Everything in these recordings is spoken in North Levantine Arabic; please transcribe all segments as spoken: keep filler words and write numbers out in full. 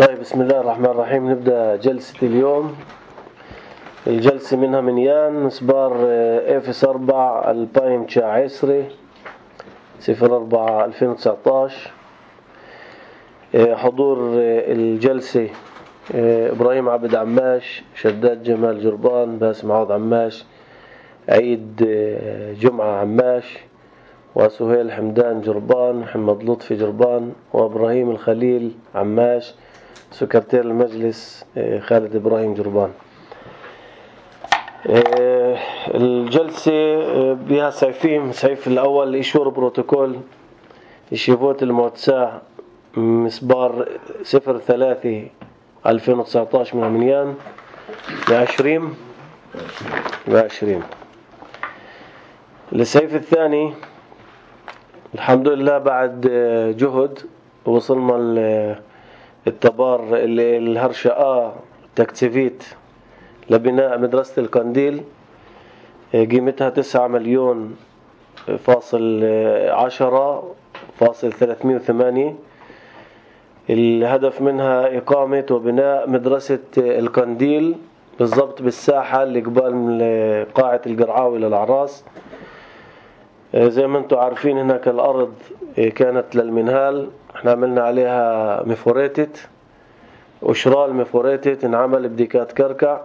طيب، بسم الله الرحمن الرحيم. نبدأ جلسة اليوم. الجلسة منها من يان مسبار إفس أربعة البايم تشا عسري صفر أربعة ألفين وتسعطاش. حضور الجلسة إبراهيم عبد عماش، شداد جمال جربان، باسم عوض عماش، عيد جمعة عماش، وسهيل حمدان جربان، محمد لطفي جربان، وإبراهيم الخليل عماش، سكرتير المجلس خالد إبراهيم جربان. الجلسة بها سيفين. سيف الأول إيشور بروتوكول يشيفوت الموتساع مسبار صفر ثلاثة ألفين وتسعطاش من عميان بعشرين بعشرين. السيف الثاني الحمد لله بعد جهد وصلنا التبار الهرشقة تكتيفيت لبناء مدرسة القنديل، قيمتها تسعة مليون فاصل عشرة فاصل ثلاثمائة وثمانية. الهدف منها إقامة وبناء مدرسة القنديل بالضبط بالساحة اللي قبال قاعة القرعاوي للعراس. زي ما انتم عارفين هناك الأرض كانت للمنهال، احنا عملنا عليها مفوريتت وشرال مفوريتت، انعمل بديكات كركع.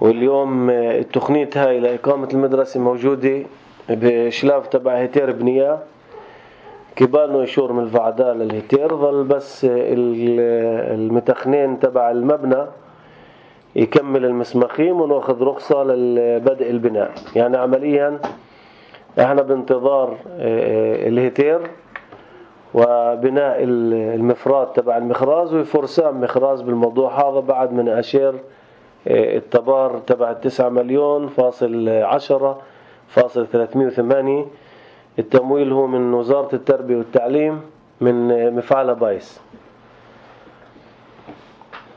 واليوم التقنية هاي لإقامة المدرسة موجودة بشلاف تبع هيتير بنية، كبالنا يشور من الفعداء للهيتير، ظل بس المتخنين تبع المبنى يكمل المسمخيم ونأخذ رخصة للبدء البناء. يعني عمليا احنا بانتظار الهيتير وبناء المفراد تبع المخراز وفرسان مخراز بالموضوع هذا بعد من أشير التبار تبع التسعة مليون فاصل عشرة فاصل ثلاثمائة وثمانية. التمويل هو من وزارة التربية والتعليم من مفعل بايس.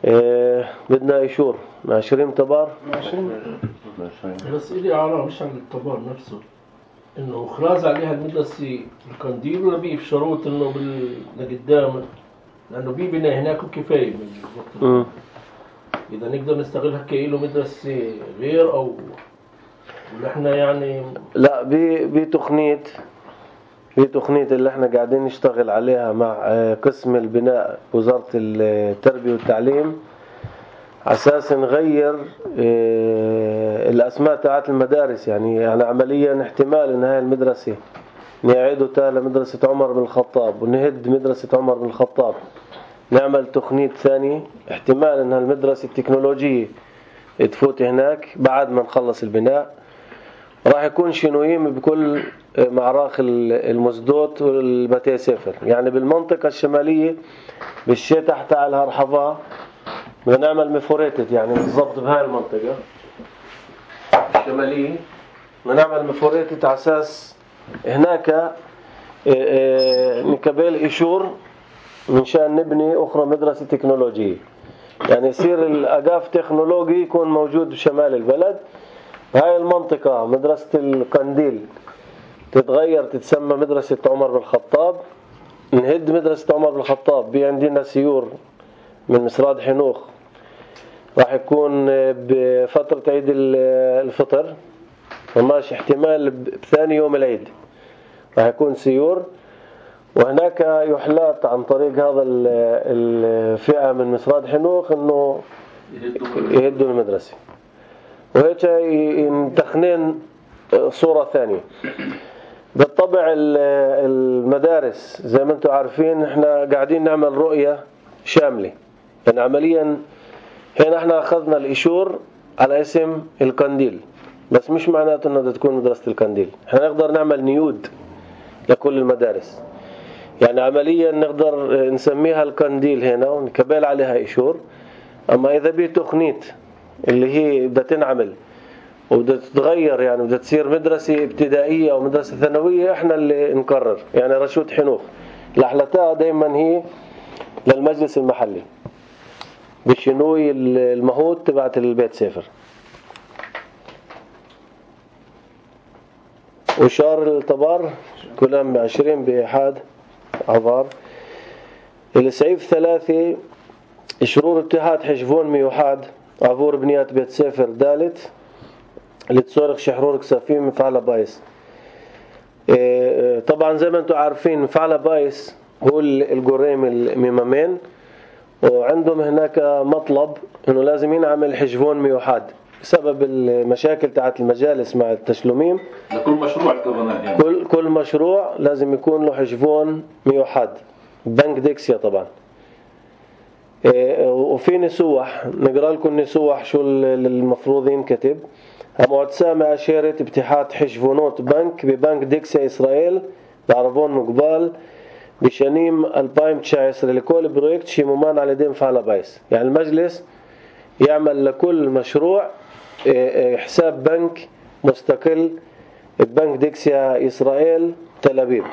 اه بدنا إيشور عشرين تبار عشرين. بس إلي عارة مش عن التبار نفسه إنه إخراز عليها المدرسة القنديل، ولا بيه في شروط إنه بالقدام لأنه بيه بنا هناك وكفاية من إذا نقدر نستغلها كإله مدرسة غير أو ولا إحنا يعني لا بتقنية بتقنية اللي إحنا قاعدين نشتغل عليها مع قسم البناء وزارة التربية والتعليم، أساس نغير الأسماء تاعت المدارس. يعني يعني عمليا احتمال إن هاي المدرسة نعيدوا تالا مدرسة عمر بن الخطاب ونهد مدرسة عمر بن الخطاب، نعمل تقنية ثانية. احتمال إن هالمدرسة التكنولوجية تفوت هناك بعد ما نخلص البناء. راح يكون شنويم بكل معراخ المزدوت والبتي سفر. يعني بالمنطقة الشمالية بالشيء تحت على الهرحفة بدنا نعمل مفوريتت، يعني بالضبط بهاي المنطقة الشمالية بدنا نعمل مفوريتت على أساس هناك نكبل إيشور من شان نبني أخرى مدرسة تكنولوجية. يعني يصير الأقاف تكنولوجي يكون موجود بشمال البلد. هاي المنطقة مدرسة القنديل تتغير تتسمى مدرسة عمر بن الخطاب، نهد مدرسة عمر بن الخطاب. بي عندنا سيور من مسراد حنوخ راح يكون بفترة عيد الفطر وماشي احتمال بثاني يوم العيد راح يكون سيور، وهناك يحلات عن طريق هذا الفئة من مسراد حنوخ انه يهدوا المدرسة. وهيك ينتخنين صورة ثانية. بالطبع المدارس زي ما انتم عارفين احنا قاعدين نعمل رؤية شاملة. يعني عمليا هنا احنا اخذنا الإيشور على اسم القنديل، بس مش معناته انها تكون مدرسة القنديل. احنا نقدر نعمل نيود لكل المدارس. يعني عمليا نقدر نسميها القنديل هنا ونكبل عليها إيشور. اما اذا بيه تقنية اللي هي بدها تنعمل وبدها تتغير، يعني بدها تصير مدرسة ابتدائية أو مدرسة ثانوية، إحنا اللي نقرر. يعني رشود حنوخ لحلتها دايما هي للمجلس المحلي بالشنوي المهود تبعت البيت سفر. وشار التبار كلهم عشرين بإحاد عبار. السعيف ثلاثة شرور اتحاد حشفون ميوحاد عبور بنيات بيت سافر دالت لتصورك شحرور كسافين مفعلة بايس. طبعا زي ما انتم عارفين مفعلة بايس هو الجريم الميمامين، وعندهم هناك مطلب انه لازم ينعمل حشفون ميوحاد بسبب المشاكل تاعت المجالس مع التشلوميم. لكل مشروع يعني. كل كل مشروع لازم يكون له حشفون ميوحاد بنك ديكسيا طبعا. وفي نسوح نقرأ لكم نسوح شو المفروض ينكتب. هموت سامع أشيرة ابتحاد حشفونات بنك ببنك ديكسيا إسرائيل بعرفون مقبال بشنيم ألفين وتسعة عشر لكل بروجكت شي ممان على دين فعل بايس. يعني المجلس يعمل لكل مشروع حساب بنك مستقل ببنك ديكسيا إسرائيل تل أبيب.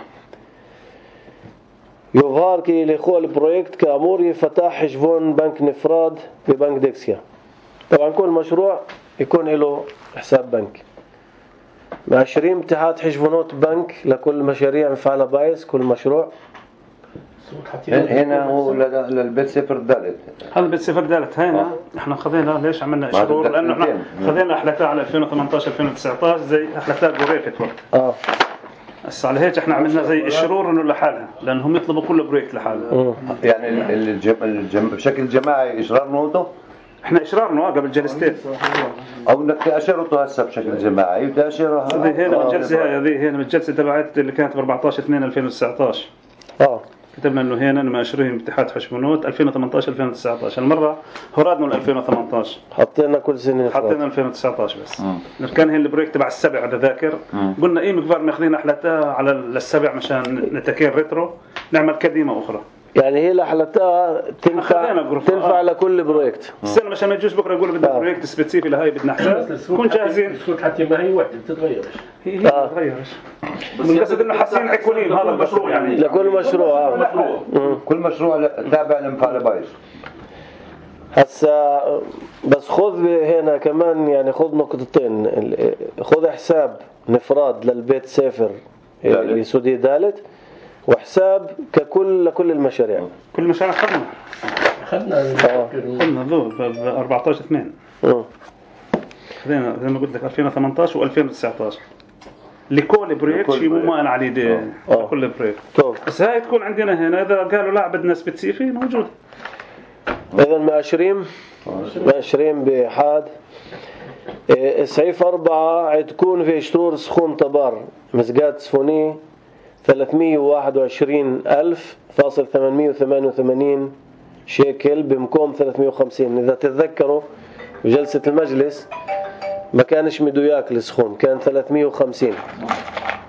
يظهر كي لخول بروجكت كأمور يفتح حشفون بنك نفراد ببنك ديكسيا. طبعا كل مشروع يكون له حساب بنك. عشرين اتحاد حشفونات بنك لكل مشاريع مفعلة بايس كل مشروع. هنا هو للبيت سفر الدالت. هذا بيت سفر الدالت هنا احنا خذينا ليش عملنا شهور لانه احنا خذينا احلتها على ألفين وثمانية عشر ألفين وتسعة عشر زي احلتها جوريفت وقت. اه بس على هيك احنا عملنا زي الشرور انه لحالها لانهم يطلبوا كل بروجكت لحالها. يعني الجم... الجم... بشكل جماعي اشرار نوته. احنا اشرارنا قبل جلستين او انك تاشرته هسه بشكل جماعي وتاشرها هنا الجلسه هذه هنا الجلسه تبعت اللي كانت ب أربعة عشر اثنين ألفين وتسعة عشر. اه كتبنا انه هنا ماشرين اتحاد حشمونوت ألفين وثمانية عشر ألفين وتسعة عشر. المره هرادنا ل ألفين وثمانية عشر حطينا كل سنه حطينا ألفين وتسعة عشر بس. مم. كان هي البروجكت تبع السبع اذا ذاكر. قلنا ايه مقبال ماخذين احلتها على السبع مشان نتكين ريترو نعمل كديمه اخرى. يعني هي لحلتها تنفع تنفع آه. لكل بروجكت. السنه مشان ما يجوش بكره يقولوا بدنا بروجكت سبيسيفي لهي بدنا حساب نكون جاهزين. السوق حتى ما هي وحده بتتغيرش. هي هي آه. بتتغيرش. بس قصد انه حاسين عكولين هذا المشروع يعني لكل مشروع. آه. مشروع. كل مشروع تابع لمفعل بايس. هسا بس خذ هنا كمان يعني خذ نقطتين. خذ حساب نفراد للبيت سافر لسودي دالت وحساب ككل لكل المشاريع. كل المشاريع خدنا خدنا خدنا ذو ب أربعة عشر اثنين. امم خذينا زي ما قلت لك ألفين وثمانية عشر وألفين وتسعة عشر لكل بروجكت شيء مو ما انا عليه دي كل بروجكت. بس هاي تكون عندنا هنا اذا قالوا لا بدنا سبيسيفي موجود. اذا ماشرين ماشرين بحاد سعيف أربعة تكون في شطور سخون طبار مسقات صفوني ثلاثمية وواحد وعشرين ألف فاصل ثمانمية وثمانية وثمانين شيكل بمكوم ثلاثمية وخمسين. إذا تتذكروا بجلسة المجلس ما كانش مدوياك السخون كان ثلاثمية وخمسين.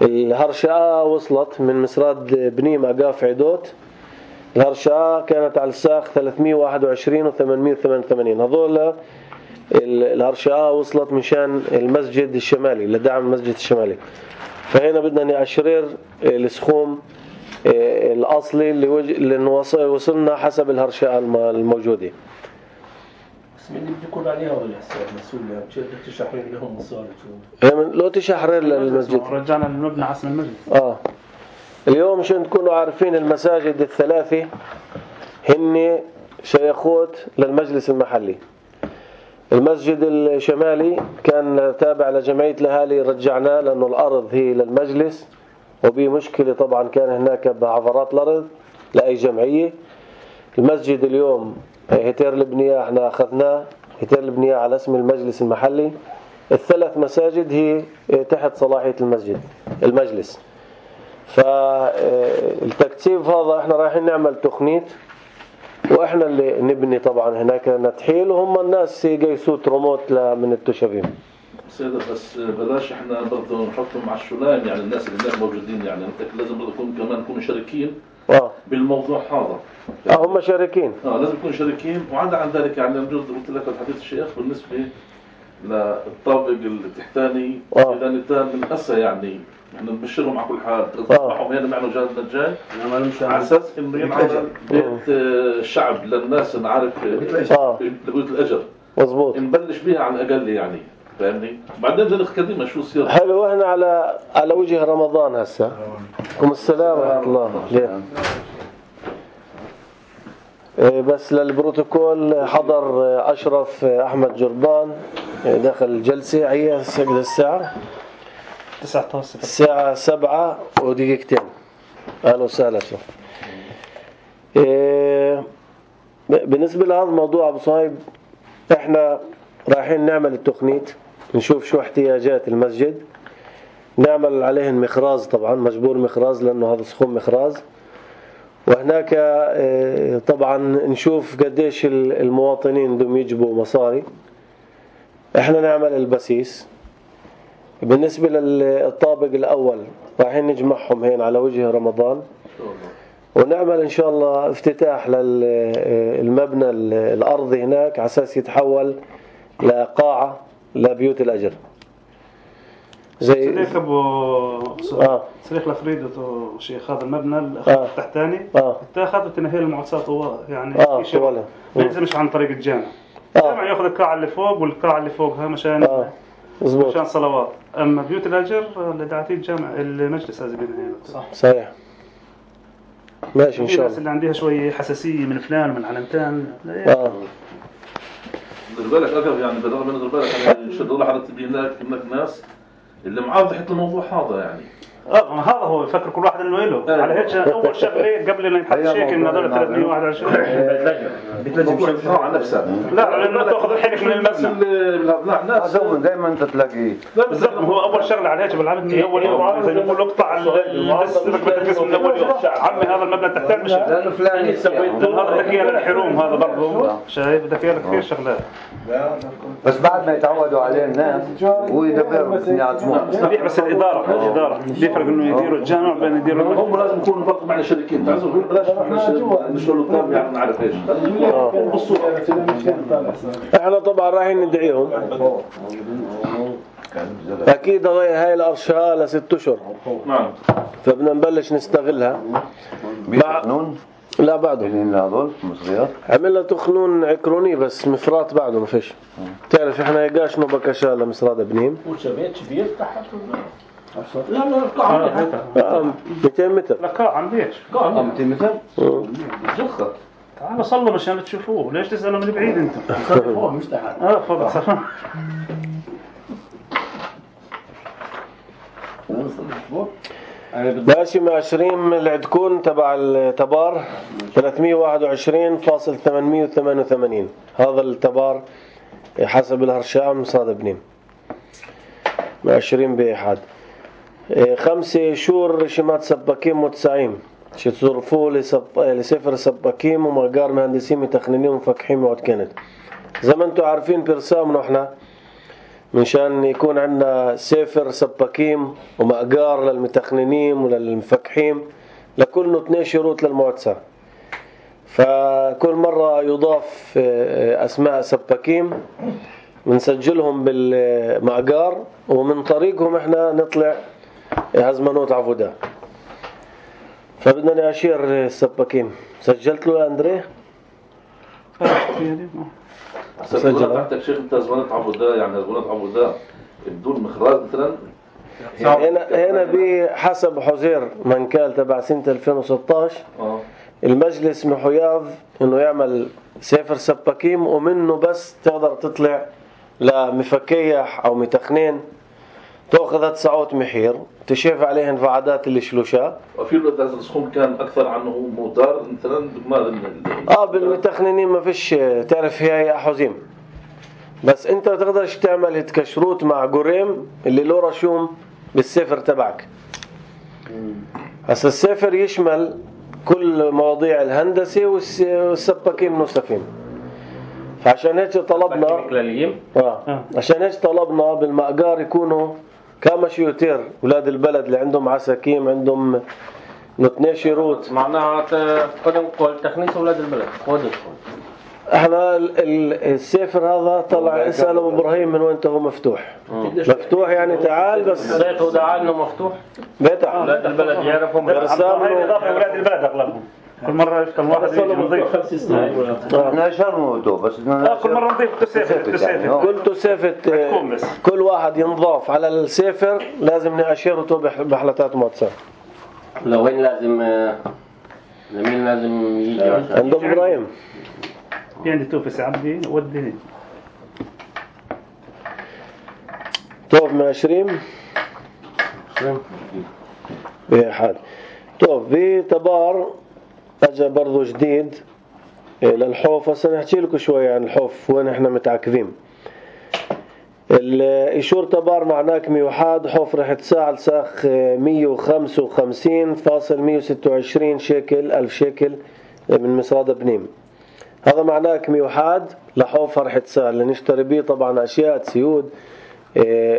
الهرشاء وصلت من مسراد بنيم أقاف عدوت. الهرشاء كانت على الساق ثلاثمية وواحد وعشرين وثمانمية وثمانية وثمانين. هذول الهرشاء وصلت مشان المسجد الشمالي لدعم المسجد الشمالي. فهنا بدنا نأشرر السخوم الأصلي اللي, وج... اللي وصلنا حسب الهرشاء الموجودة. بس مين اللي بيكون عليها ولا حساب مسؤول يعني مش بدك تشحرر لهم مصاري لو تشحرر للمسجد رجعنا للمبنى عصم المسجد. اه اليوم عشان تكونوا عارفين المساجد الثلاثة هن شيخوت للمجلس المحلي. المسجد الشمالي كان تابع لجمعية الأهالي رجعناه لأنه الأرض هي للمجلس وبي مشكلة طبعا كان هناك بعفرات الأرض لأي جمعية. المسجد اليوم هتير البنية احنا أخذناه هتير البنية على اسم المجلس المحلي. الثلاث مساجد هي تحت صلاحية المسجد المجلس. فالتكثيف هذا احنا رايحين نعمل تخنيت واحنا اللي نبني طبعا هناك نتحيل وهم الناس يقيسوا ترموت من التشابين. سيدة بس بلاش احنا برضه نحطهم مع الشلام يعني الناس اللي هناك موجودين يعني انت لازم برضه يكون كمان يكونوا شريكين اه بالموضوع هذا. يعني اه هم شريكين. اه لازم يكونوا شريكين وعدا عن ذلك يعني بجوز قلت لك الحديث الشيخ بالنسبة للطابق التحتاني اذا نتان من هسه يعني احنا نبشرهم على كل حال نصبحهم هنا معنا جازنا الجاي على اساس انه ينعمل بيت الشعب للناس نعرف لبيوت الاجر مظبوط نبلش بيها على الاقل يعني فاهمني بعدين بدنا نخدمها شو يصير. حلو احنا على على وجه رمضان هسه. عليكم السلام ورحمه الله. بس للبروتوكول حضر أشرف أحمد جربان داخل الجلسة. هي الساعة تسعة عشر الساعة سبعة ودقيقتين. أهلا وسهلا أشرف. بالنسبة لهذا الموضوع أبو صايب، إحنا رايحين نعمل التقنيت، نشوف شو احتياجات المسجد، نعمل عليهن مخراز، طبعا مجبور مخراز لأنه هذا سخون مخراز، وهناك طبعا نشوف قديش المواطنين بدهم يجيبوا مصاري. احنا نعمل البسيس. بالنسبة للطابق الأول رايحين نجمعهم هين على وجه رمضان، ونعمل إن شاء الله افتتاح للمبنى الأرضي هناك على أساس يتحول لقاعة لبيوت الأجر. زي صديق ابو اه صديق لفريد شيخ هذا المبنى آه. التحتاني اه اتاخذ وتنهي المعسات هو يعني اه في شيء ما يلزمش عن طريق الجامع. الجامع آه. ياخذ القاعه اللي فوق والقاعه اللي فوقها مشان آه. مشان صلوات. اما بيوت الاجر اللي دعتيه الجامع المجلس لازم ينهي. صح صحيح. ماشي ان شاء الله. الناس اللي عندها شويه حساسيه من فلان ومن علمتان اه دير بالك اكثر يعني بالرغم من دير بالك يعني شدوا له حضرتك هناك هناك ناس اللي معاه تحت الموضوع هذا يعني اه هذا هو يفكر كل واحد انه له على هيك اول شغله قبل لا ينحط شيك ان هذول ثلاثمية وواحد وعشرين بتلزم شيء على نفسها. لا لانه تاخذ الحرك من المبنى. لا ناس دائما انت تلاقيه بالضبط. هو اول شغله على هيك بالعمد من اول يوم اذا نقول له اقطع القسم من اول يوم عمي هذا المبنى تحتاج مش لانه فلان هذا بدك اياه للحروم هذا برضه شايف بدك اياه كثير شغلات. بس بعد ما يتعودوا عليه الناس هو يدبر يعظموه صحيح. بس الاداره الاداره بيفرق انه يديروا الجامع بين يديروا هم لازم يكونوا برضه معنا شركين تعرفوا بلاش احنا نشتغل الطابع يعني نعرف ايش احنا طبعا رايحين ندعيهم اكيد هاي الارشها لست اشهر. نعم. فبدنا نبلش نستغلها. بقانون لا بعده هذول مصريات عملنا تخنون عكروني بس مفرات بعده ما فيش. تعرف احنا يقاش نو بكشا لمصراد بنيم وشبيت كبير تحت لا لا قاعة مئتين متر. لا قاعة عم بيش قاعة مئتين متر جخة. تعالوا صلوا مشان تشوفوه. ليش تسألوا من بعيد انتم؟ فوق مش تحت. اه فوق صح. ماشي مع عشرين العدكون تبع التبار ثلاثمية وواحد وعشرين فاصل ثمانمية وثمانية وثمانين. هذا التبار حسب الهرشام مصاد بنيم مع عشرين بإحاد. خمسة شور رشمات سباكين متسعين شتصرفوه لسفر سباكين ومقار مهندسين متخننين ومفكحين وعد كانت زي ما انتم عارفين برسامنا احنا منشان يكون عندنا سفر سباكين ومقار للمتخننين وللمفكحين لكل اثنين شروط للمعتسة. فكل مرة يضاف أسماء سباكين بنسجلهم بالمقار ومن طريقهم احنا نطلع هزمنوت عفودا. فبدنا نأشير السباكين. سجلت له أندريه؟ سجلت تحتك شيخ انت هزمنوت عفودا يعني هزمنوت عفودا بدون مخراج مثلا. هنا هنا بحسب حزير منكال تبع سنة ألفين وستة عشر اه المجلس محياض انه يعمل سفر سباكين ومنه بس تقدر تطلع لمفكيح او متخنين تأخذ تسعوت محير تشيف عليهن فعادات الشلوشة. وفي له هذا السخون كان أكثر عنه موتار مثلا ما آه بالمتخنين ما فيش تعرف هي أحوزيم بس أنت تقدرش تعمل هتكشروت مع قريم اللي له رشوم بالسفر تبعك. هسا السفر يشمل كل مواضيع الهندسة والسباكين منوسفين. فعشان هيك طلبنا آه. عشان هيك طلبنا بالمقار يكونوا كما شيوتير ولاد البلد اللي عندهم عساكيم عندهم اثنين شروط. معناها قدم قول تخنيس ولاد البلد خودش. احنا السفر هذا طلع اسال ابو ابراهيم من وين هو مفتوح. مفتوح يعني تعال بس بيته دعا انه مفتوح. بيته ولاد البلد يعرفهم هاي اضافه ولاد البلد اغلبهم. كل مرة يفتح واحد يجي نضيف خمس سنين. احنا شرموته بس كل مرة نضيف تسافر تسافر. كل تسافر كل واحد ينضاف على السفر لازم نأشرته بحلتات موتسا. لو وين لازم زميل لازم يجي عند أبو إبراهيم. في عندي توفيس عبدي ودي توف مع عشرين بحال. توف في تبار أجا برضو جديد للحوف. هسه نحكي لكم شوية عن الحوف وين احنا متعاكفين. الإيشور تبار معناه كميوحاد حوف رح تساعد ساخ مية وخمسة وخمسين فاصل مية وستة وعشرين شيكل ألف شيكل من مصراد بنيم. هذا معناه كميوحاد لحوف رح تساعد لنشتري بيه طبعا أشياء تسيود،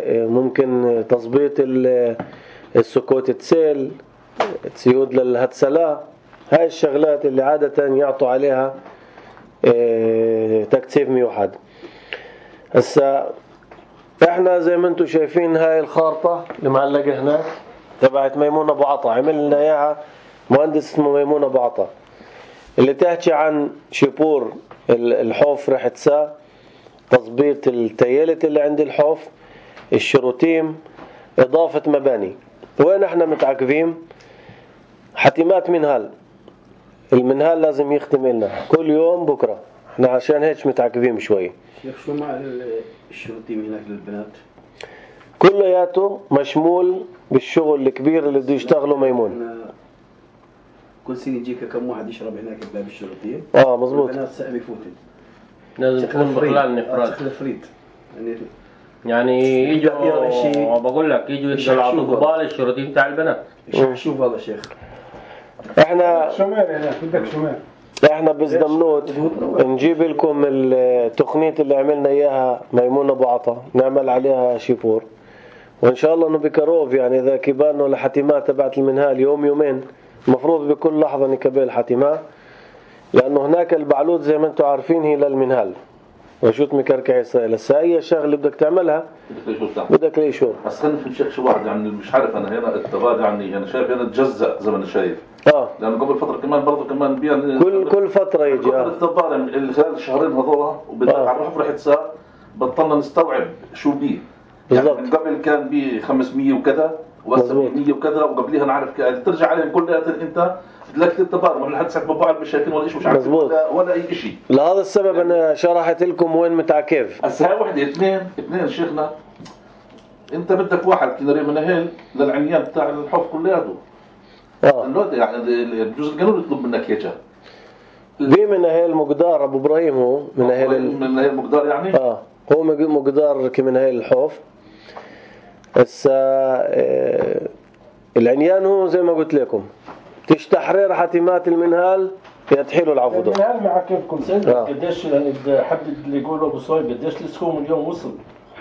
ممكن تظبيط السكوت تسيل، تسيود للهتسلا. هاي الشغلات اللي عادة يعطوا عليها تكثيف ميوحد. هسا احنا زي ما انتم شايفين هاي الخارطة اللي معلقة هناك تبعت ميمون ابو عطا، عمل لنا اياها مهندس اسمه ميمون ابو عطا، اللي تحكي عن شيبور الحوف رح تسا، تظبيط التيالت اللي عند الحوف، الشروتيم، اضافة مباني. وين احنا متعاكفين؟ حتمات منهال. المنهال لازم يختم لنا كل يوم بكرة، احنا عشان هيك متعاكفين شوي. شيخ شو مع الشروتيم هناك للبنات؟ كلياته مشمول بالشغل الكبير اللي بده يشتغله ميمون. كل سنة يجيك كم واحد يشرب هناك بباب الشروتيم؟ اه مزبوط. البنات سقم يفوتن. لازم تكون بخلال نفراد. شكل فريد. يعني يعني يجوا بقول لك يجوا يطلعوا قبال الشروتيم تاع البنات. شوف هذا شيخ. احنا شمال هناك بدك شمال. احنا بزدمنوت نجيب لكم التقنية اللي عملنا اياها ميمون ابو عطا، نعمل عليها شيبور، وان شاء الله انه بكروف يعني اذا كبالنا لحتمات تبعت المنهال يوم يومين المفروض بكل لحظة نكبل حتمات، لانه هناك البعلوت زي ما انتم عارفين هي للمنهال وشوت مكركع إسرائيل. هسه أي شغلة بدك تعملها بدك لي شو. بس خلينا في شيء شو واحد يعني مش عارف أنا هنا التبادل يعني أنا شايف هنا تجزأ زي ما أنا شايف. آه. لأنه قبل فترة كمان برضو كمان بيان كل كل فترة يجي. آه. التبادل اللي خلال الشهرين هذولا وبدأ على الرحف رح تسا بطلنا نستوعب شو بيه. بالضبط. يعني قبل كان بيه خمسمية وكذا وهسه مية وكذا وقبليها نعرف ترجع عليهم كلها أنت لك التبادل ما لحد ساعة ببعض مشاكل ولا شيء مش عارف ولا, ولا أي شيء. لهذا السبب أنا شرحت لكم وين متعكف. هسه هاي وحدة اثنين اثنين شيخنا أنت بدك واحد كناري منهل للعنيان بتاع الحوف كلياته. آه. يعني الجزء القانوني يطلب منك إياه. في منهل مقدار أبو إبراهيم هو منهل منهل مقدار يعني. آه هو مقدار كمنهل الحوف. هسه آه العنيان هو زي ما قلت لكم تشتحرير حتمات المنهال يتحيلوا العفودة. المنهال مع كيفكم سنة آه. قديش يعني حدد اللي يقولوا أبو صويب قديش السكوم اليوم وصل؟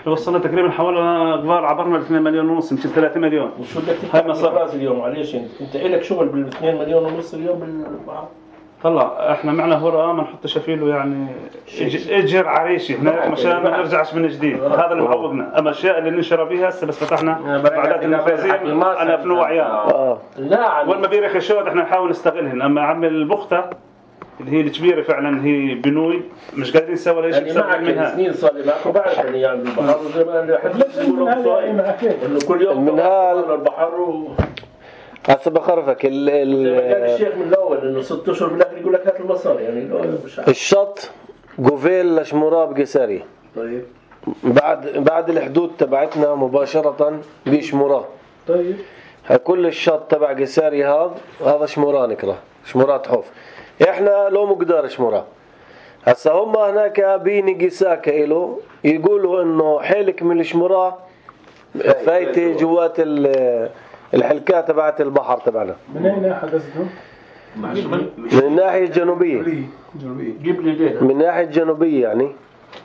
وصلنا تقريبا حوالي قبال عبرنا اثنين مليون ونص يمكن ثلاثة مليون. وشو بدك تدفع مصاري اليوم عليش انت؟ انت إلك شغل بال اثنين مليون ونص اليوم بالبحر؟ طلع احنا معنا هراء ما نحط شفيله يعني اجر عريشي هناك مشان ما نرجعش من جديد. هذا اللي معوقنا. اما الاشياء اللي نشرب بيها هسه بس فتحنا بعدات النفاذين انا في نوعيان اه لا وين ما بيرخ الشود احنا نحاول نستغلهن. اما عم البخته اللي هي الكبيره فعلا هي بنوي مش قادرين نسوي ولا شيء يعني منها سنين صار لي معكم بعرف اني يعني البحر زي ما حد انه كل يوم المنهال البحر و هسه بخرفك ال ال زي ما قال الشيخ من الاول انه ست اشهر بالاخر يقول لك هات المصاري يعني مش عارف. الشط جوفيل لشموراب قساري. طيب بعد بعد الحدود تبعتنا مباشرة بشمورة. طيب كل الشط تبع قساري هذا هذا شمورة نكره شمورات حوف. احنا لو مقدار شمورة. هسه هم هناك بيني قساك إله يقولوا انه حيلك من الشمورة فايتة جوات الحلكات تبعت البحر تبعنا. من اين حدثته؟ من الناحية الجنوبية. جيب لي ليه من الناحية الجنوبية يعني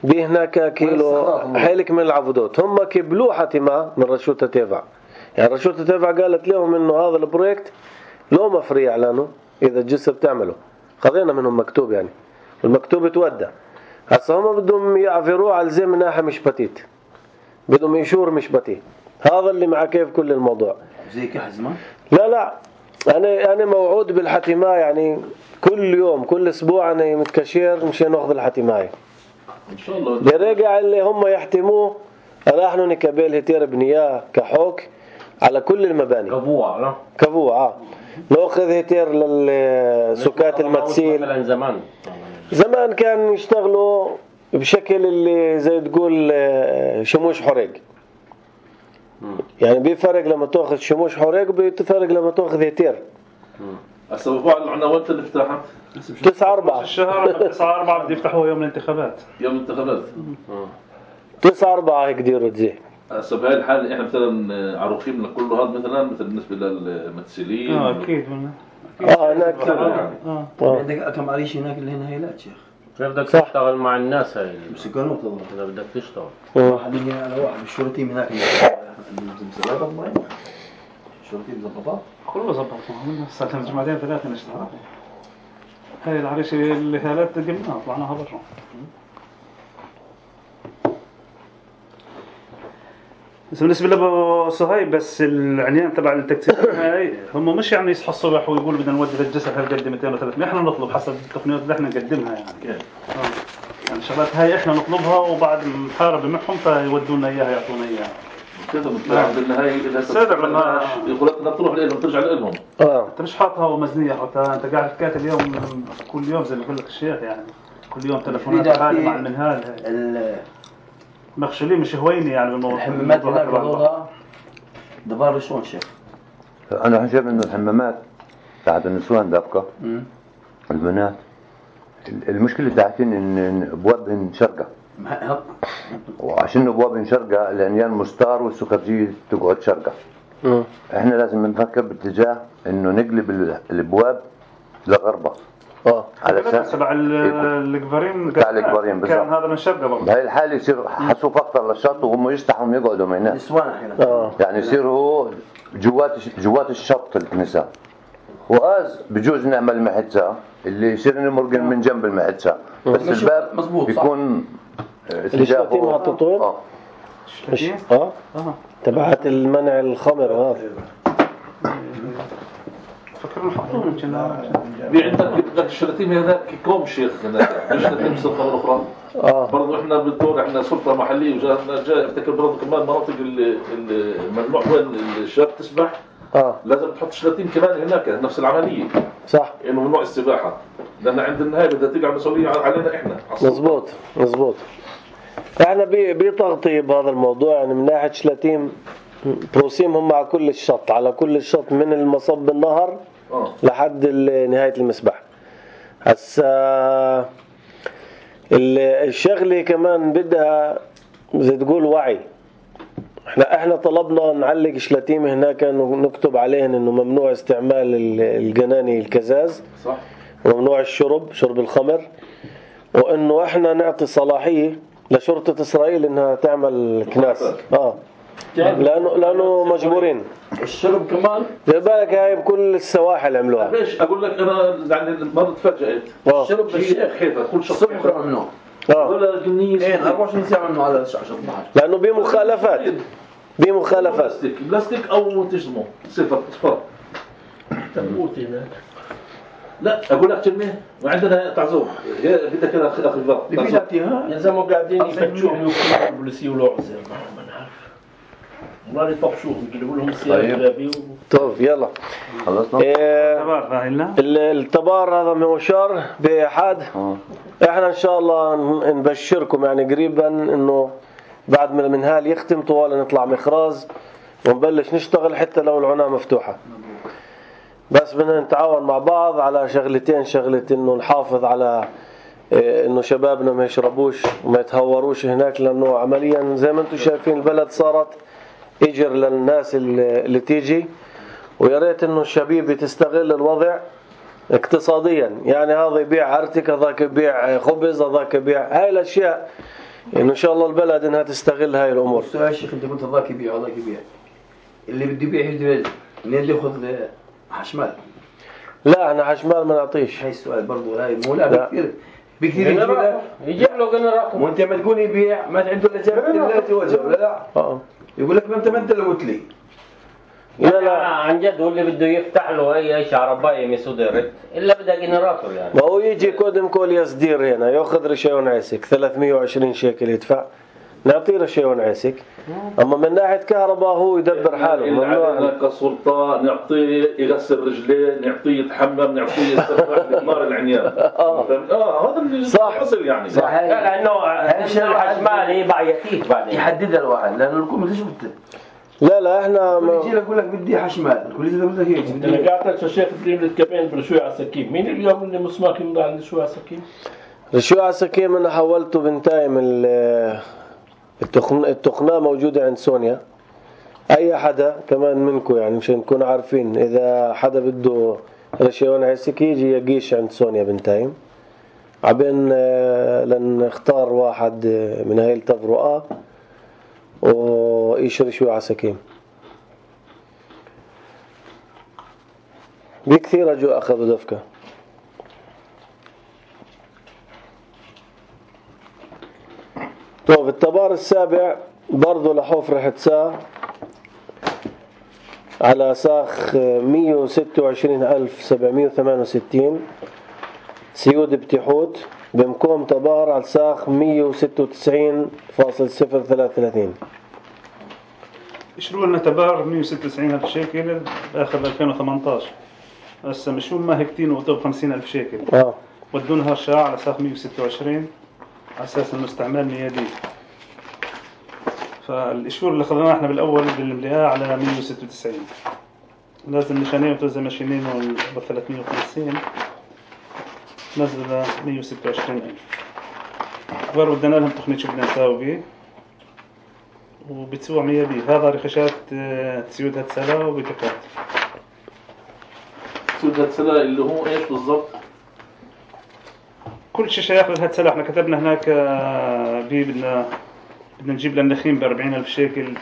بيه هناك كيلو حيلك من العبودات. هم كبلوه حتما من رشوتة تيفع. يعني رشوتة تيفع قالت لهم انه هذا البروجكت لو ما فري اعلانه اذا الجسر بتعمله. خذينا منهم مكتوب يعني والمكتوب تودى. هسه هم بدهم يعفروه على زي من ناحية مش بتيت بدهم يشور مش بتيت. هذا اللي مع كيف كل الموضوع زي كحزمة. لا لا انا انا موعود بالحتماء يعني كل يوم كل اسبوع انا متكشير مشان ناخذ الحتماء ان شاء الله. برجع اللي هم يحتموه نحن نكبل هتير بنياه كحوك على كل المباني كفوع لا كفوع. ناخذ هيتير للسكات المتسيل. مثلا زمان زمان كان يشتغلوا بشكل اللي زي تقول شموش حرق، يعني بيفرق لما تاخذ شموش حرق بيفرق لما تاخذ هيتير. هسه بعض العناوات اللي فتحت تسعة أربعة الشهر تسعة أربعة بده يفتحوها يوم الانتخابات. يوم الانتخابات تسعة أربعة هيك ديروا تزي. هسه بهاي الحالة احنا مثلا عروقين من كل هذا مثلا مثل بالنسبة للممثلين. اه اكيد اه هناك كثير. اه عندك كم عريش هناك اللي هنا هيلات شيخ. كيف بدك تشتغل مع الناس هاي؟ مسكنوه طبعا. إذا بدك تشتغل. واحد يجي على واحد الشرطي هناك المزبلات والله. الشرطي مزبطات. كله زبطنا. صار لنا جمعتين ثلاثة نشتغل. هاي العريش اللي هالات قمنا طلعناها برا. بس بالنسبة لأبو صهيب بس العنيان تبع التكتيك هاي هم مش يعني يصحوا الصبح ويقولوا بدنا نودي للجسر هالقد مئتين وثلاثمية، احنا نطلب حسب التقنيات اللي احنا نقدمها يعني. اه يعني شغلات هاي احنا نطلبها وبعد محاربة معهم فيودونا اياها يعطونا اياها. كذا مثلا بالنهاية إذا سادر لما يقول لك بدنا تروح لهم ترجع لهم. اه انت مش حاطها ومزنية حتى انت قاعد تكاتب اليوم كل يوم زي ما يقول لك الشيخ يعني كل يوم تلفونات عالية مع المنهال هاي. مخشولين مش هويني يعني بالموضوع. الحمامات هناك والله دبار شلون شيخ؟ أنا شايف إنه الحمامات تاعت النسوان دابكة البنات المشكلة تاعتين إن أبوابهن شرقة، وعشان أبوابهن شرقة العنيان مستار والسكرجية تقعد شرقة. إحنا لازم نفكر باتجاه إنه نقلب الأبواب لغربة. اه على اساس تبع القفرين تاع القفرين كان هذا من شرقه برضه. بهاي الحاله يصير حسوف اكثر للشط وهم يستحوا يقعدوا من هناك نسوان احيانا اه يعني يصير هو جوات جوات الشط النساء، وآز بجوز نعمل محتسة اللي يصير نمرق من جنب المحتسة بس الباب يكون الشلاتين محطوطون اه اه تبعت المنع الخمر اه فكرنا نحطوه يمكن في عندك بدك الشلاتين هناك كوم شيخ هناك مش شلاتين سلطة أخرى. اه برضو احنا بالدور احنا سلطة محلية وجاء جاء افتكر برضو كمان مناطق الممنوع وين الشباب تسبح. اه لازم تحط شلاتين كمان هناك نفس العملية. صح انه ممنوع السباحة لأن عند النهاية بدها تقع مسؤولية علينا احنا. مزبوط مزبوط. احنا بتغطية بهذا الموضوع يعني من ناحية شلاتين بروسيمهم مع كل الشط على كل الشط من المصب النهر أوه. لحد نهاية المسبح. هسا الشغلة كمان بدها زي تقول وعي. احنا احنا طلبنا نعلق شلاتيم هناك نكتب عليهن انه ممنوع استعمال الجناني الكزاز صح. وممنوع الشرب شرب الخمر، وانه احنا نعطي صلاحية لشرطة اسرائيل انها تعمل كناس اه لانه لانه مجبورين. الشرب كمان زي بالك هاي بكل السواحل عملوها. ليش اقول لك انا يعني المرة تفاجأت الشرب بالشيخ حيفا كل شخص الصبح ممنوع اه ولا جنيه ايه أربعة وعشرين ساعة ممنوع على الشعب البحر لانه بمخالفات بمخالفات بلاستيك بلاستيك او تجزمه صفر صفر تموت هناك. لا اقول لك كلمه وعندنا تعزوم بدك كده اخي اخي بيجاتيها يا زلمه قاعدين يفتشوهم ويكونوا البوليسيه ولعزه ما نعرف والله يطفشوهم يقلبوا لهم السياره كلابي. طيب يلا خلصنا. إيه التبار هذا موشار بأحد. احنا ان شاء الله نبشركم يعني قريبا انه بعد ما المنهال يختم طوال نطلع مخراز ونبلش نشتغل حتى لو العناة مفتوحة. بس بدنا نتعاون مع بعض على شغلتين، شغلة انه نحافظ على إيه انه شبابنا ما يشربوش وما يتهوروش هناك، لانه عمليا زي ما انتم شايفين البلد صارت اجر للناس اللي تيجي، ويا ريت انه الشبيبة تستغل الوضع اقتصاديا، يعني هذا يبيع ارتك هذاك يبيع خبز هذاك يبيع هاي الاشياء، يعني ان شاء الله البلد انها تستغل هاي الامور. السؤال يا شيخ انت قلت هذاك يبيع هذاك يبيع اللي بده يبيع يجي منين اللي ياخذ حشمال؟ لا انا حشمال ما نعطيش. هاي السؤال برضه هاي مو لا بكثير بكثير يجي له يجيب له جنراتور وانت ما تقول يبيع ما عنده الا جاب الا توجه ولا لا اه يقول لك ما انت ما انت اللي قلت لي لا لا عن جد هو اللي بده يفتح له اي اي شعربايه ميسو دايركت الا بدها جنراتور يعني. ما هو يجي كودم كول يصدير هنا ياخذ ريشيون عسك ثلاثمية وعشرين شيكل يدفع نعطيه رشيون عسك. اما من ناحيه كهرباء هو يدبر حاله. ممنوع كسلطان نعطيه يغسل رجليه، نعطيه يتحمم، نعطيه يسترخي نار العنيان. اه اه هذا اللي صح اصل يعني صح. لانه الحشمالي بعيتيك بعدين يحددها الواحد لانه الكل مش بت لا لا احنا كل يجي لك يقول لك بدي حشمال، كل يجي يقول لك هيك بدي. انا قاعد الشيخ ابراهيم الكبين برشوي على السكين. مين اليوم اللي مسماك يمضي على رشوي على السكين؟ رشوي على السكين انا حولته بنتايم التقن التقنيه موجوده عند سونيا. اي حدا كمان منكم يعني مشان نكون عارفين اذا حدا بده رشيون عسك يجي يقيش عند سونيا بنتايم عبين لنختار واحد من هاي التفرقة ويشري شوي عساكين. بكثير اجوا اخذوا دفكة. طيب التبار السابع برضو لحوف رح تسا على ساخ مية وستة وعشرين ألف سبعمية وثمانية وستين سيود بتيحوت بمكوم تبار على ساخ مية وستة وتسعين فاصل صفر ثلاثة وثلاثين. يشروا لنا تبار مية وستة وتسعين ألف شيكل آخر ألفين وثمانية عشر. هسه مشون ما هيكتين وطوب خمسين ألف شيكل. اه ودونها الشراع على ساخ مية وستة وعشرين على أساس إنه استعمال ميادي. فالإشور اللي خذناه إحنا بالأول بالمليئة على مية وستة وتسعين. لازم نشانين وتوزع ماشينين ب ثلاثمية وخمسين نزل مية وستة وعشرين ألف. أخبار ودنا لهم تقنية شو بدنا نساوي بيه وبتسوى ميادي. هذا رخشات تسيود هتسلا وبتكات. تسيود هتسلا اللي هو إيش بالضبط؟ كل شيء شيخ للهتسلا. إحنا كتبنا هناك بيه بدنا بدنا نجيب للنخيم بأربعين ألف شيكل.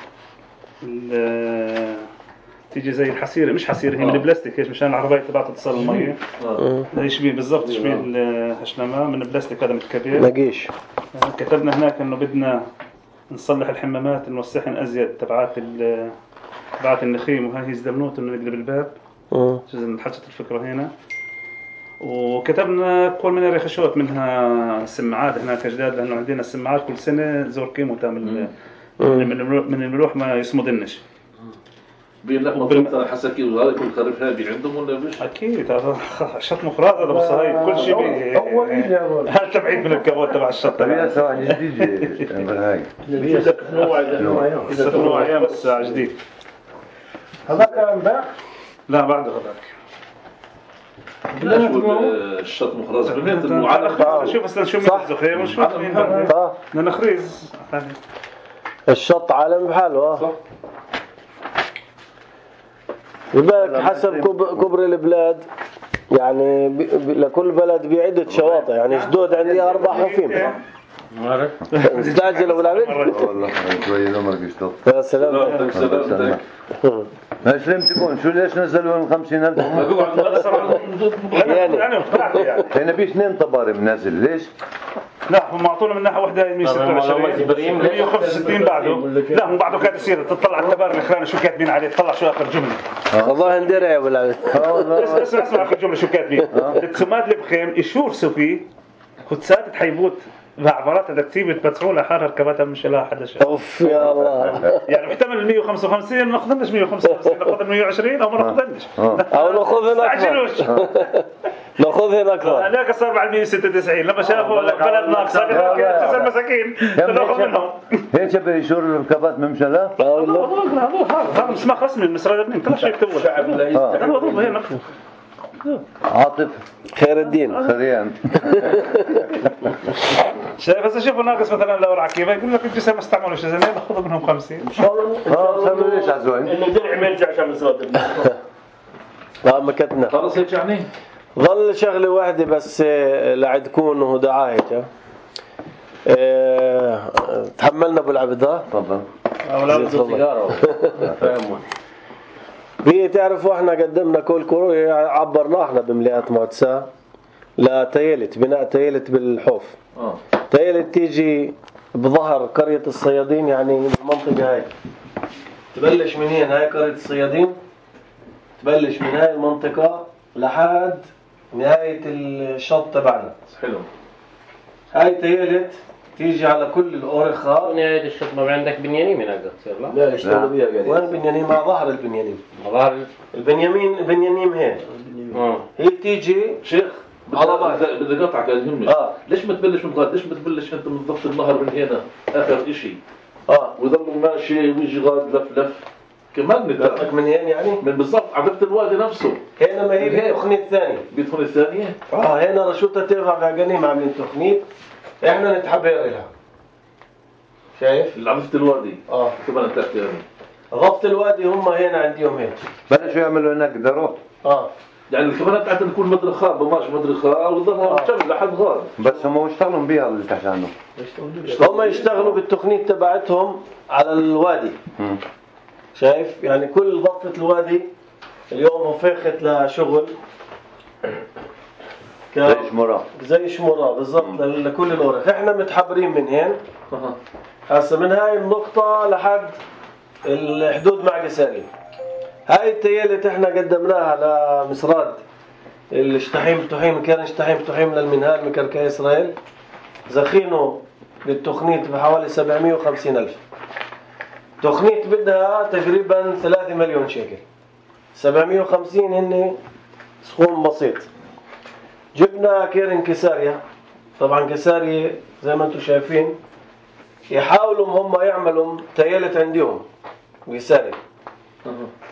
تيجي زي الحصيرة مش حصيرة هي من البلاستيك هيك مشان العربية تبعت تصل المية. يشبه بالضبط يشبه الهشلمة من البلاستيك هذا متكبر. نقيش. كتبنا هناك إنه بدنا نصلح الحمامات نوسخن أزيد تبعات تبعات النخيم وهاي هي الزبنوت إنه نقلب الباب. جزء من حاجة الفكرة هنا. وكتبنا كل منها رخشوت منها سماعات هناك جداد لأنه عندنا السماعات كل سنة زور كيمو تعمل من الملوح ما يصمدنش. بين لك مطلوب حسكي وهذا كل خريف هابي عندهم ولا مش؟ أكيد هذا شط مفراد هذا بصراحة كل شيء بيه هل تبعيد من الكبوت تبع الشط. طبيعة سواء جديد هاي. لسه نوع لسه نوع أيام الساعة جديد. هذاك امبارح؟ لا بعده هذاك. لا شو الشط مخرز بنيت المعلقة. شوف أصلا شو من الزخير وشو من بعده. نخريز. الشط عالم بحاله. صح. بالك حسب كبر البلاد يعني لكل بلد بعدة شواطئ يعني جدود عندي أربع حفيم. استعجل أبو العبيد. والله شوية الأمر قشطة. يا سلام. سلام. ما سلمت تكون شو ليش نزلوا من خمسين ألف؟ يعني يعني بيش اثنين طباري منازل ليش؟ لا هم أعطونا من ناحية واحدة مية وستة وعشرين مية وخمسة وستين بعده. لا هم بعده كانت يصير تطلع التبار الأخراني شو كاتبين عليه تطلع شو آخر جملة. والله ندري يا أبو العبيد. اسمع اسمع آخر جملة شو كاتبين. التسمات البخيم يشوف سوفي خدسات تحيبوت بعبارات التكتيب تبتعوا لحار ركباتها مش لها حدا شيء. اوف يا الله. يعني محتمل مية وخمسة وخمسين ما ناخذناش مية وخمسة وخمسين ناخذ مية وعشرين او ما ناخذناش او ناخذ اكثر. ناخذ اكثر. هناك صار بعد مية وستة وتسعين لما شافوا بلد ناقصه تسع مساكين ناخذ منهم. هيك بيشور الركبات ممشلة؟ لا والله. هذا مسمى رسمي من مصر الابنين كل شيء يكتبوا. الشعب لا هذا وظيفه هنا. عاطف خير الدين خريان. شايف هسه شوفوا ناقص مثلا لو رعكيبه يقول لك الجسم ما استعملوش زين ناخذ منهم خمسين ان شاء الله. اه سموا ليش عزوين انه درع ما يرجع عشان مسرات. لا مكتنا خلص هيك يعني ظل شغله واحده بس لعندكم وهو دعايه. اه تحملنا ابو العبد. ها تفضل. اولاد سيجاره فهموا. هي تعرفوا احنا قدمنا كل كرو عبرنا احنا بمليئات معتسة لتيلت بناء تيلت بالحوف. اه تيلت تيجي بظهر قرية الصيادين يعني المنطقة هاي تبلش من هنا هاي قرية الصيادين تبلش من هاي المنطقة لحد نهاية الشط تبعنا. حلو. هاي تيلت تيجي على كل الأورخة. نهاية الشطبة عندك بنيانين هناك تصير لا؟ لا يشتغلوا بيها قاعدين. وين بنيانين؟ مع ظهر البنيانين. مع ظهر البنيامين بنيانين هين. اه هي تيجي شيخ على بعض. بدي اقطعك يهمني. اه ليش ما تبلش من غاد؟ ليش ما تبلش انت من ضفة النهر من هنا اخر اشي؟ اه ويضلوا ماشي ويجي غاد لف لف كمان نتاع قصدك من هين يعني؟ من بالضبط على ضفة الوادي نفسه. هنا ما هي بالتخنيط الثاني. بيدخل الثانية؟ اه هنا رشوطة ترفع بعجنيم عاملين تخنيط. احنا نتحبر لها. شايف؟ اللي على ضفة الوادي. اه كمان تحكي يعني. ضفة الوادي هم هنا عندهم هيك. بلشوا يعملوا هناك دروب. اه يعني الكمان بتاعتنا تكون مدرخة بماش مدرخة وتضلها مكمل لحد غاد. بس هم يشتغلوا بيها اللي تحت عنه. هم يشتغلوا بالتخنيط تبعتهم على الوادي. مم. شايف؟ يعني كل ضفة الوادي اليوم وفاخت لشغل ك... زي شمرة. زي شمرة بالضبط لكل الأورخ. احنا متحبرين من هين. هسه من هاي النقطة لحد الحدود مع قساري. هاي التيالة احنا قدمناها لمسراد الشتحيم تحيم كان شتحيم تحيم للمنهال مكركي إسرائيل. زخينه بالتخنيط بحوالي سبعمية وخمسين ألف. تخنيط بدها تقريبا ثلاثة مليون شيكل. سبعمية وخمسين هن سخون بسيط. جبنا كيرن كساريا. طبعا كساريا زي ما انتم شايفين يحاولوا هم يعملوا تيالة عندهم كساريا.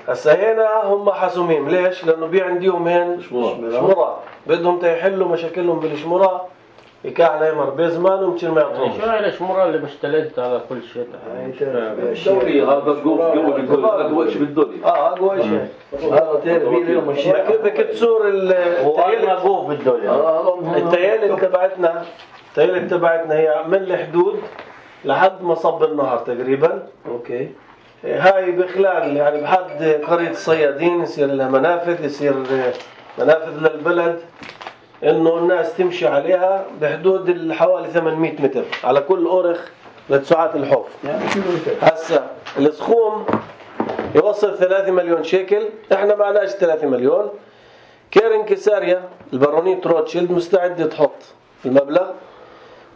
هسا هنا هم حسومين. ليش؟ لانه بي عندهم هين شمرة بدهم تيحلوا مشاكلهم بالشمرة يكعنا يمر بزمان مشان ما يعطوهم. شو هاي الشمرة اللي مشتلت على كل شيء؟ الدوري هذا قوة قوة بالدوري أقوى شيء بالدوري. اه أقوى شيء. هذا تير بيه اليوم الشيء. بدك تصور التيالة قوف بالدولة. التيالة تبعتنا التيالة تبعتنا هي من الحدود لحد مصب النهر تقريبا. اوكي. هاي بخلال يعني بحد قرية الصيادين يصير لها منافذ يصير منافذ للبلد انه الناس تمشي عليها بحدود حوالي ثمانمية متر على كل اورخ لتسعات الحوف. هسه السخوم يوصل ثلاثة مليون شيكل. احنا معناش ثلاثة مليون. كيرن كساريا البارونيت روتشيلد مستعد تحط المبلغ.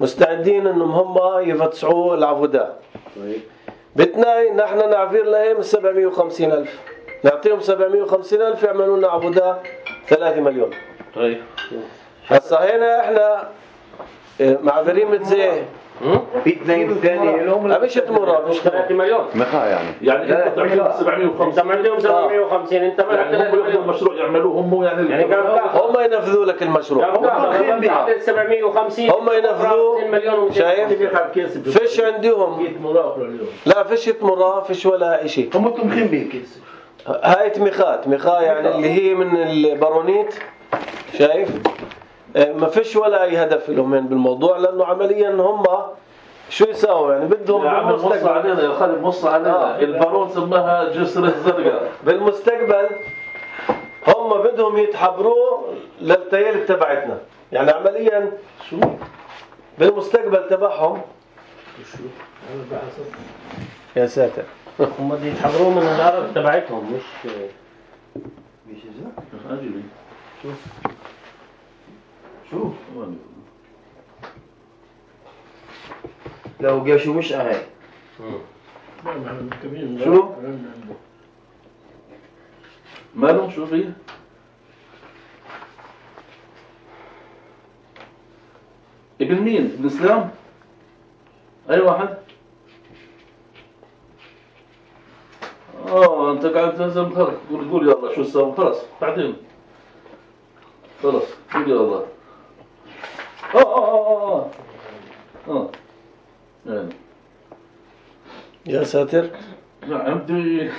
مستعدين انهم هم يفتسعوا العفودات. بتناي نحن نعفير لهم سبعمية وخمسين ألف. نعطيهم سبعمية وخمسين ألف يعملوا لنا عبودة ثلاثة مليون. طيب. هسا هنا احنا معذرين متزاي. في اثنين ثاني لهم مش تمرة مش ثلاثة مليون. مخا يعني. يعني انت تعملهم سبعمية وخمسين. انت عندهم سبعمية وخمسين انت ما يعني هم ياخذوا المشروع يعملوه هم يعني يعني هم ينفذوا لك المشروع. هم سبعمية وخمسين هم ينفذوا. شايف؟ فيش عندهم. لا فيش تمرة فيش ولا شيء. هم تمخين به الكيس. هاي تمخات تمخا يعني اللي هي من البارونيت. شايف؟ ما فيش ولا اي هدف لهم بالموضوع لانه عمليا هم شو يساووا يعني بدهم بالمستقبل علينا يا خالد مص علينا آه. البارون سماها جسر الزرقاء. بالمستقبل هم بدهم يتحبروا للتيال تبعتنا يعني عمليا شو بالمستقبل تبعهم شو يا ساتر هم بدهم يتحبروا من الارض تبعتهم مش مش ازاي عجيب شوف شوف لو قاشوا مش اهي شو مالهم شو فيه ابن مين ابن اسلام اي واحد اه انت قاعد تنزل خلق قول قول يلا شو السبب خلاص بعدين خلاص قول يلا اه اه اه اه اه يا ساتر عندي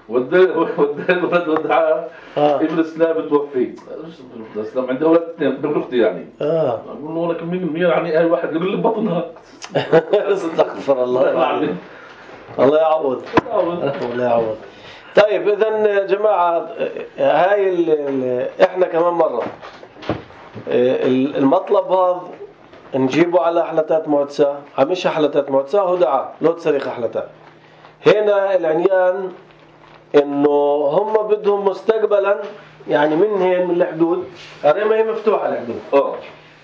ودي ودي الولد ودعاه ابن اسلام توفي ابن اسلام عنده اولاد اثنين ابن اختي يعني اه اقول له لك مين مين يعني اي واحد يقول لي بطنها استغفر الله الله يعوض الله يعوض. طيب اذا يا جماعه هاي ال ال احنا كمان مره المطلب هذا نجيبه على حلتات معتسة مش حلتات معتسة هو دعاء لو تصريخ حلتات. هنا العنيان انه هم بدهم مستقبلا يعني من هين من الحدود هذه ما هي مفتوحه الحدود اه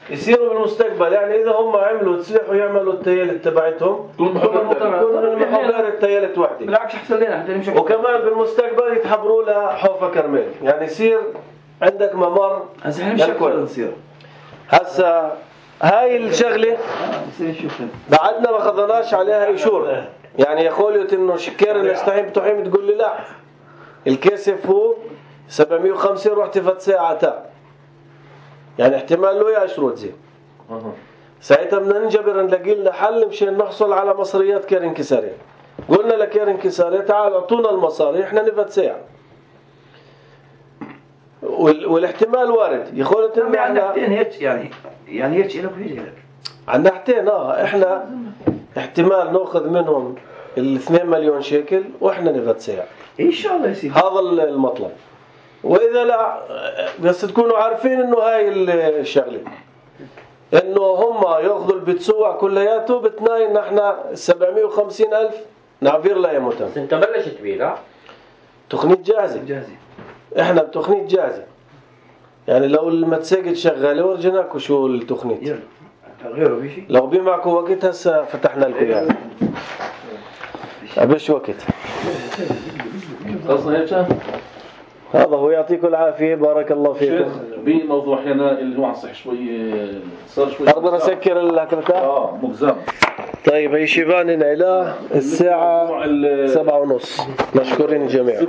يصيروا بالمستقبل. يعني إذا هم عملوا تصلحوا يعملوا التيالت تبعتهم كل المحاضرة التيالت وحدة. بالعكس أحسن لنا. وكمان بالمستقبل يتحبروا لها حوفة كرمال. يعني يصير عندك ممر. هسا احنا مش هكذا نصير. هسا هاي الشغلة بعدنا ما خذناش عليها إيشور. يعني يقولوا إنه شكير الاستحيم بتحيم تقول لي لا الكاسف هو سبعمية وخمسين رحت فت ساعة تا. يعني احتمال له يأشروت زي ساعتها بدنا ننجبر نلاقي لنا حل مشان نحصل على مصريات كيرن كساري. قلنا لكيرن كساري تعال اعطونا المصاري احنا نفت ساعة. والاحتمال وارد يقولوا إنه عندنا حتين هيك يعني يعني هيك إلك وهيك إلك. عندنا حتين اه احنا احتمال ناخذ منهم الاثنين مليون شيكل واحنا نفت ساعة. إن شاء الله يصير. هذا المطلب. وإذا لا بس تكونوا عارفين إنه هاي الشغلة إنه هم يأخذوا البتسوع كلياته بتناي نحن سبعمية وخمسين ألف نعبير لا يموتن. بس أنت بلشت بيه لا؟ تقنية جاهزة. جاهزة. إحنا بتقنية جاهزة. يعني لو المتساقط شغالة ورجناكوا شو التقنية. يلا. غيره بيشي. لو بي معكم وقت هسا فتحنا لكم يعني. أبش وقت. خلصنا هيك. هذا هو يعطيكم العافية بارك الله فيكم. بموضوع هنا اللي هو عن صح شوي صار شوي. أقدر أسكر الهكرتة؟ آه مجزم. طيب هي شيبان العلا الساعة سبعة ونص. مشكورين الجميع.